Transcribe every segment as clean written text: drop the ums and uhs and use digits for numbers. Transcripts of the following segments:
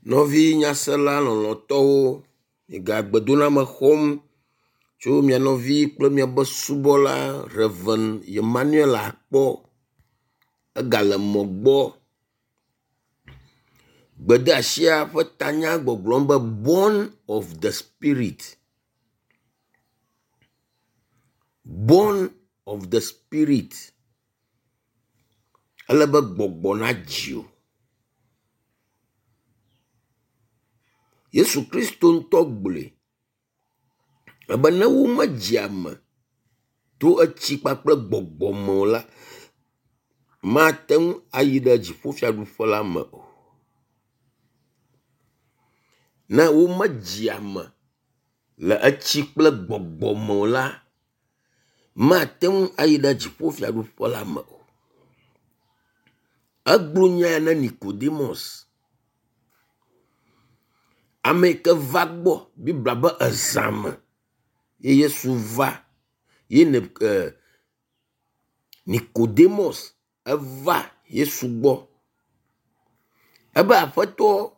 Nɔvi nyasela lɔlɔ̃tɔwo, miega gbedoname xɔm tso mia nɔvi kple miaƒe subɔla Rev. Emmanuel Akpɔ. Egale mɔ gbɔ. Gbedeasia ƒe tanya gbɔgblɔm be born of the spirit. Born of the spirit. Ele be gbɔgbɔ nadzi wò. Yesu Kristo ŋutɔ gblɔe ebe ne womedzi ame to etsi kpakple gbɔgbɔ me o la, mate ŋu ayi ɖe dziƒofiaɖuƒe la me o. Ne womedzi ame le etsi kple gbɔgbɔ me o la, mate ŋu ayi ɖe dziƒofiaɖuƒe la me o. Egblɔ nya ya na Nicodemus, ame yi ke va gbɔ biblia be ezã me ye Yesu va ye ne e Nicodemus eva Yesu gbɔ. Ebe aƒetɔ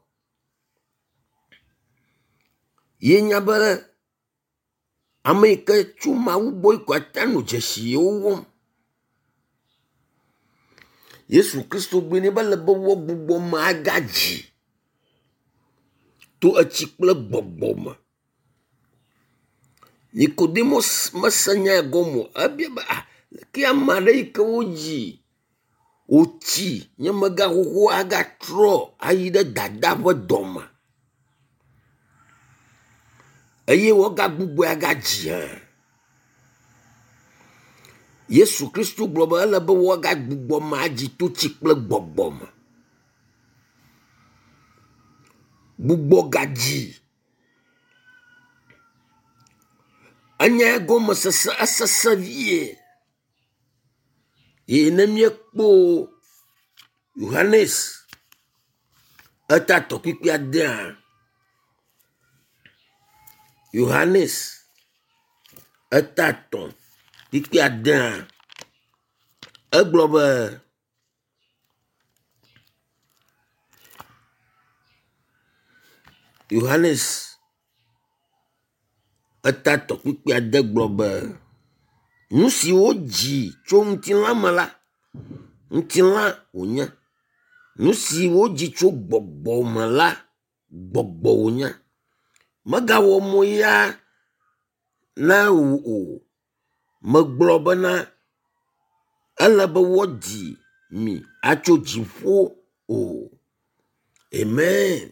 ye nya be ame yi ke tso Mawu gbɔ ko ate ŋu anɔ dzesi yewo wɔm. Yesu Kristo gblɔe nɛ be ele be woagbugbɔ ame agadzi to etsi kple gbɔgbɔ me. Nicodemus mese nya ya gɔme o. Ebia be ah ke ame aɖe yi ke wodzi wòtsi nye megaxoxo agatrɔ ayi ɖe dada ƒe dɔme eye woagagbugbɔe agadzi hã. Yesu Kristo gblɔ be ele be woagagbugbɔ ame adzi to tsi kple gbɔgbɔ me. Gbugbɔ gadzi. Enya gɔmesese esese vie ye ne míekpɔ Yohanes eta tɔkpikpi adea Yohanes eta tɔ̃ kpikpi adea egblɔ be Yohanes eta tɔ̃ kpukpui ade gblɔ be, Nu si wodzi tso ŋutilã me la, ŋutilã wònye. Nu si wodzi tso gbɔgbɔ me la, gbɔgbɔ wònye. Megawɔ mo yaa na wò o. Megblɔ bena ele be woadzi mi atso dziƒo o. Amen.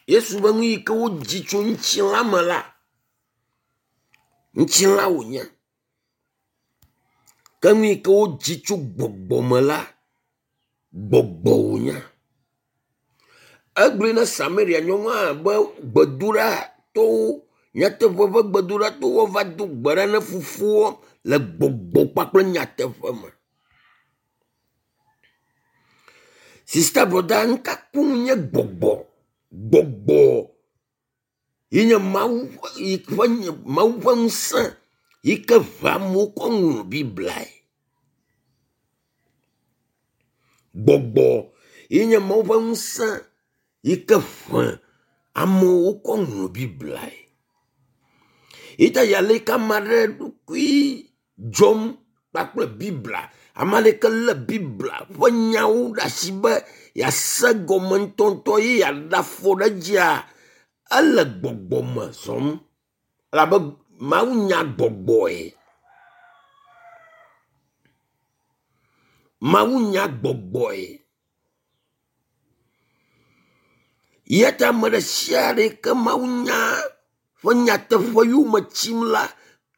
Yesu be nu yi ke wodzi tso ŋutilã me la, ŋutilã wònye. Ke nu yi ke wodzi tso gbɔgbɔ me la, gbɔgbɔ wònye. Egblɔe na Samaria nyɔnua be gbedoɖatɔwo, nyateƒe ƒe gbedoɖatɔwo va do gbe ɖa na fofoa le gbɔgbɔ kpakple nyateƒe me. Sista brɔda, nu ka koŋ nye gbɔgbɔ? Gbɔgbɔ ye nye Mawu ƒe Mawu ƒe ŋusẽ yi ke ʋã amewo kɔ ŋlɔ Bibliae. Gbɔgbɔ ye nye Mawu ƒe ŋusẽ yi ke ʋã amewo kɔ ŋlɔ Bibliae. Yi ta ale yi ke ame aɖe ɖokui dzɔm kpakple Biblia. Ame aɖeke lé Biblia ƒe nyawo ɖe asi be yease gɔme ŋutɔŋutɔ ye yeaɖe afɔ ɖe edzia, ele gbɔgbɔ me zɔm elabe Mawu nya gbɔgbɔe. Mawu nya gbɔgbɔe. Eya ta ame ɖe sia ɖe yi ke Mawu nya ƒe nyateƒe yome tsim la,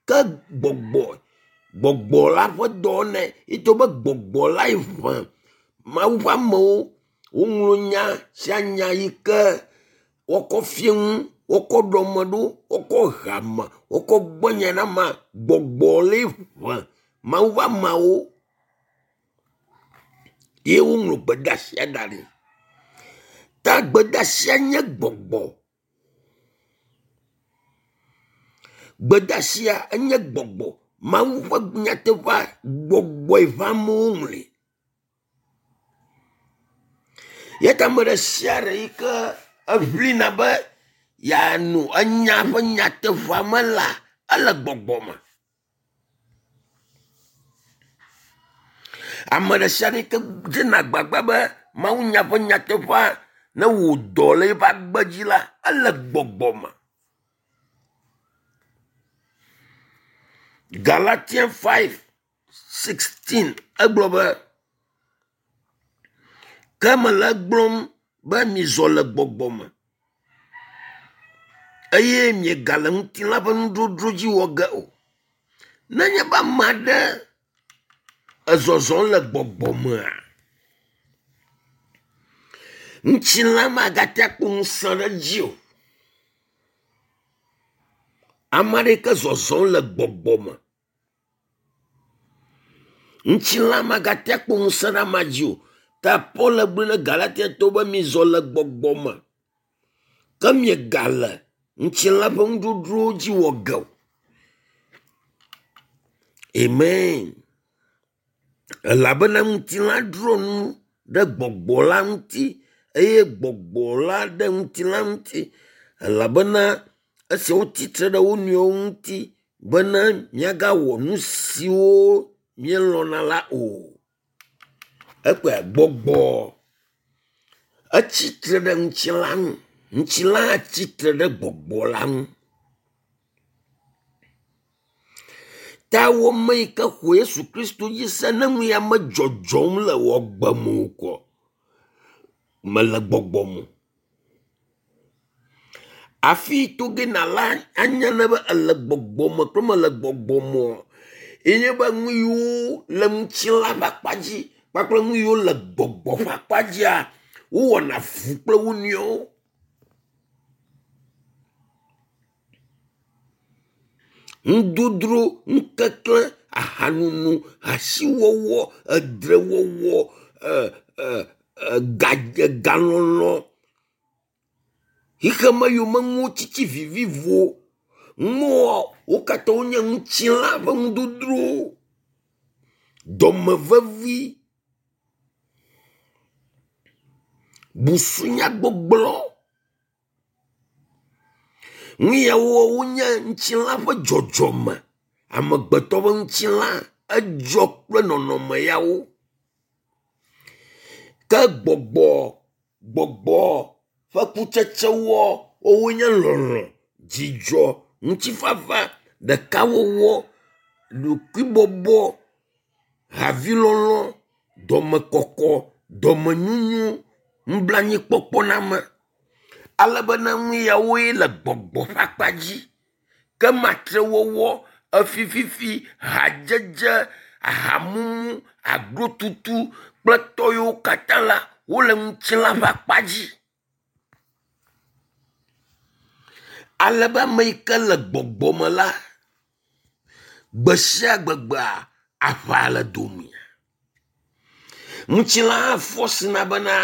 ke gbɔgbɔ gbɔgbɔ la ƒe dɔ wɔnɛ. Ye to be gbɔgbɔ lae ʋã Mawu ƒe amewo woŋlɔ nya sia nya yi ke wokɔ fia nu, wokɔ ɖɔ ame ɖo, wokɔ he ame, wokɔ gbe nya na amea. Gbɔgbɔ lae ʋã Mawu ƒe ameawo ye woŋlɔ gbedeasia da ɖi. Ta gbedeasia nye gbɔgbɔ. Gbedeasia enye gbɔgbɔ. Mawu ƒe nyateƒea gbɔgbɔe ʋã amewo ŋlɔe. Ya ta ame ɖe sia ɖe yi ke eʋlina be yeano enya ƒe nyateƒea me la, ele gbɔgbɔ me. Ame ɖe sia ɖe yi ke dzena agbagba be mawunya ƒe nyateƒea ne wɔ dɔ le eƒe agbe dzi la, ele gbɔgbɔ me. Galatians 5:16 egblɔ be ke mele egblɔm be mizɔ le gbɔgbɔ me eye miegale ŋutilã ƒe nudzodzro dzi wɔ ge o. Nenye be ame aɖe ezɔzɔm le gbɔgbɔ mea, ŋutilã magate akpɔ ŋusẽ ɖe edzi o. Ame aɖe yi ke zɔzɔm le gbɔgbɔ me, ŋutilã magate akpɔ ŋusẽ ɖe amea dzi o. Ta Paul gblɔ na Galatiatɔwo be mizɔ le gbɔgbɔ me ke miegale ŋutilã ƒe nudzodzrowo dzi wɔ ge o. Amen. Elabena ŋutilã dro nu ɖe gbɔgbɔ la ŋuti eye gbɔgbɔ la ɖe ŋutilã ŋuti elabena esiawo tsitre ɖe wo nɔewo ŋuti bena miagawɔ nu siwo mielɔ̃na la o. Ekpɔe gbɔgbɔ etsitre ɖe ŋutilã ŋu, ŋutilã hã tsitre ɖe gbɔgbɔ la ŋu. Ta wɔme yi ke xɔ Yesu Kristo dzi se ne nu ya medzɔdzɔm le wò agbe me o koa, mele gbɔgbɔ me o. Afi to ge nàla anya ne be ele gbɔgbɔ me kple mele gbɔgbɔ me o ye nye be nu yiwo le ŋutilã ƒe akpa dzi kpakple nu yiwo le gbɔgbɔ ƒe akpa dzia, wowɔna avu kple wo nɔewo. Nudodro, nukeklẽ, ahanono, hasiwɔwɔ, edzrewɔwɔ, ga egalɔlɔ̃, xexeme yomenuwo tsitsi vivivo. Nuwo wo katã wonye ŋutilã ƒe nudodrowo. Dɔmevevi, busunyagbɔgblɔ. Nu yawo wonye ŋutilã ƒe dzɔdzɔme. Amegbetɔ ƒe ŋutilã edzɔ kple nɔnɔme yawo. Ke gbɔgbɔ gbɔgbɔ ƒe kutsetsewoa wowoe nye lɔlɔ̃, dzidzɔ, ŋutifafa, ɖekawɔwɔ, ɖokuibɔbɔ, havilɔlɔ̃, dɔmekɔkɔ, dɔmenyonyo, nublanuikpɔkpɔname. Ale bena nu yawoe le gbɔgbɔ ƒe akpa dzi. Ke matrewɔwɔ, efififi, hadzedze, ahamumu, aglotutu kple tɔ yiwo katã la wole ŋutilã ƒe akpa dzi. Ale be ame yi ke le gbɔgbɔ me la, gbe sia gbegbea aʋa le dome. Ŋutilã hã fɔsina bena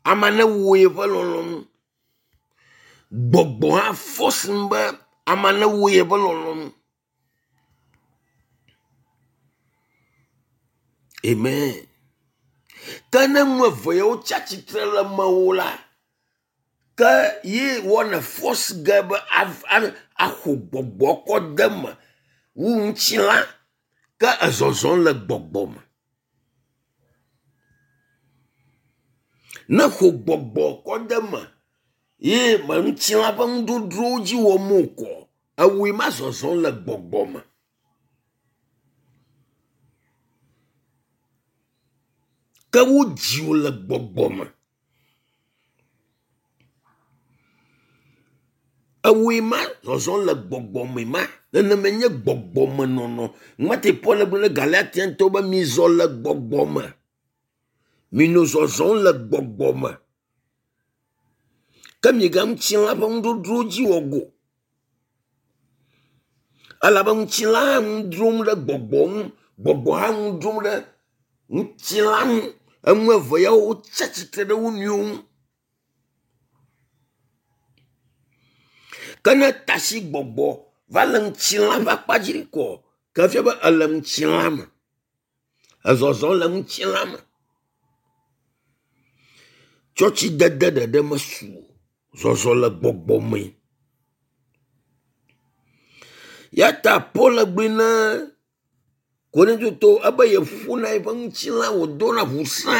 ame newɔ yeƒe lɔlɔ̃nu. Gbɔgbɔ hã fɔsin be ame newɔ yeƒe lɔlɔ̃nu. Amen. Ke ne nu eve yawo tsi atsitre le mewò la, ke ye wɔne fɔsi ge be axɔ gbɔgbɔ kɔ de eme wu ŋutilã ke ezɔzɔm le gbɔgbɔ me. Ne xɔ gbɔgbɔ kɔ de eme ye me ŋutilã ƒe nudodrowo dzi wɔm o kɔ, ewòe ma zɔzɔm le gbɔgbɔ me. Ke wodzi wò le gbɔgbɔ me. Ewòe ma zɔzɔm le gbɔgbɔ me ma. Nenema nye gbɔgbɔmenɔnɔ. Mate Paul gblɔ na Galatiantɔwo be mizɔ le gbɔgbɔ me. Minɔ zɔzɔm le gbɔgbɔ me. Ke miga ŋutilã ƒe nudodrowo dzi wɔ go. Elabe ŋutilã hã nu dzrom ɖe gbɔgbɔ ŋu, gbɔgbɔ hã nu dzrom ɖe ŋutilã ŋu. Enu eve yawo wotsi atsitre ɖe wo nɔewo ŋu. Ke ne tasi gbɔgbɔ va le ŋutilã ƒe akpa dzi kɔ, ke efia be ele ŋutilã me. Ezɔzɔ le ŋutilã me. Tsɔtsidede ɖeɖe mesu o. Zɔzɔ le gbɔgbɔ me. Ya ta Paul gblɔe na Korintotɔwo ebe yeƒona yeƒe ŋutilã wòdona ŋusẽ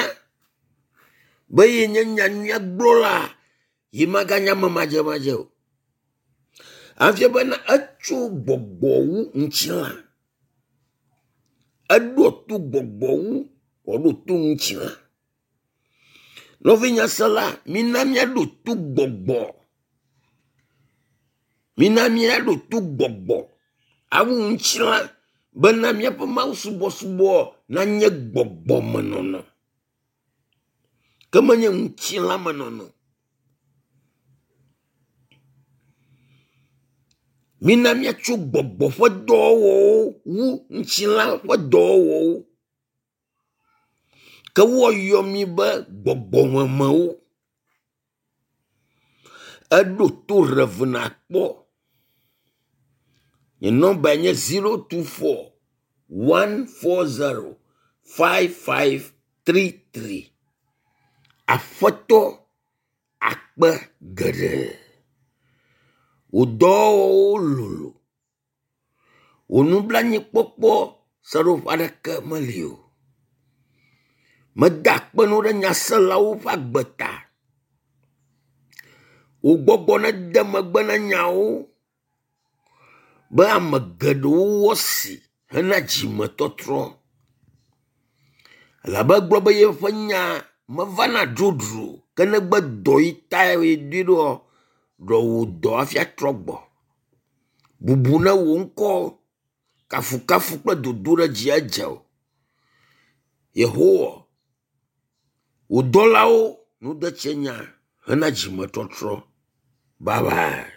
be yenye nyanyuia gblɔla yi maganye ame madzemadze o. Efia bena etso gbɔgbɔ wu ŋutilã. Eɖo to gbɔgbɔ wu wòaɖo to ŋutilã. Nɔvi nyasela, mina míaɖo to gbɔgbɔ. Mina míaɖo to gbɔgbɔ awu ŋutilã bena míaƒe mawusubɔsubɔ nanye gbɔgbɔmenɔnɔ ke menye ŋutilãmenɔnɔ. Mina míatso gbɔgbɔ ƒe dɔwɔwɔwo wu ŋutilã ƒe dɔwɔwɔwo. Ke woayɔ mí be gbɔgbɔmemewo. Eɖo to Rev. Akpɔ. Nye nɔmbae nye 024 140 5533. Aƒetɔ akpe geɖe. Wò dɔwɔwɔwo lolo. Wò nublanuikpɔkpɔ seɖoƒe aɖeke meli o. Meda akpe na wò ɖe nyaselawo ƒe agbe ta. Wò gbɔgbɔ nede megbe na nyawo be ame geɖewo woasi hena dzimetɔtrɔ. Elabe egblɔ be yeƒe nya mevana dzodzro o ke negbe dɔ yi tae yedoe ɖoa, ɖe wò dɔ hafi atrɔ gbɔ. Bubu ne wò ŋkɔ, kafukafu kple dodoɖedzi edze wò. Yehowa, wò dɔlawo node tse nya hena dzimetɔtrɔ. Bye bye.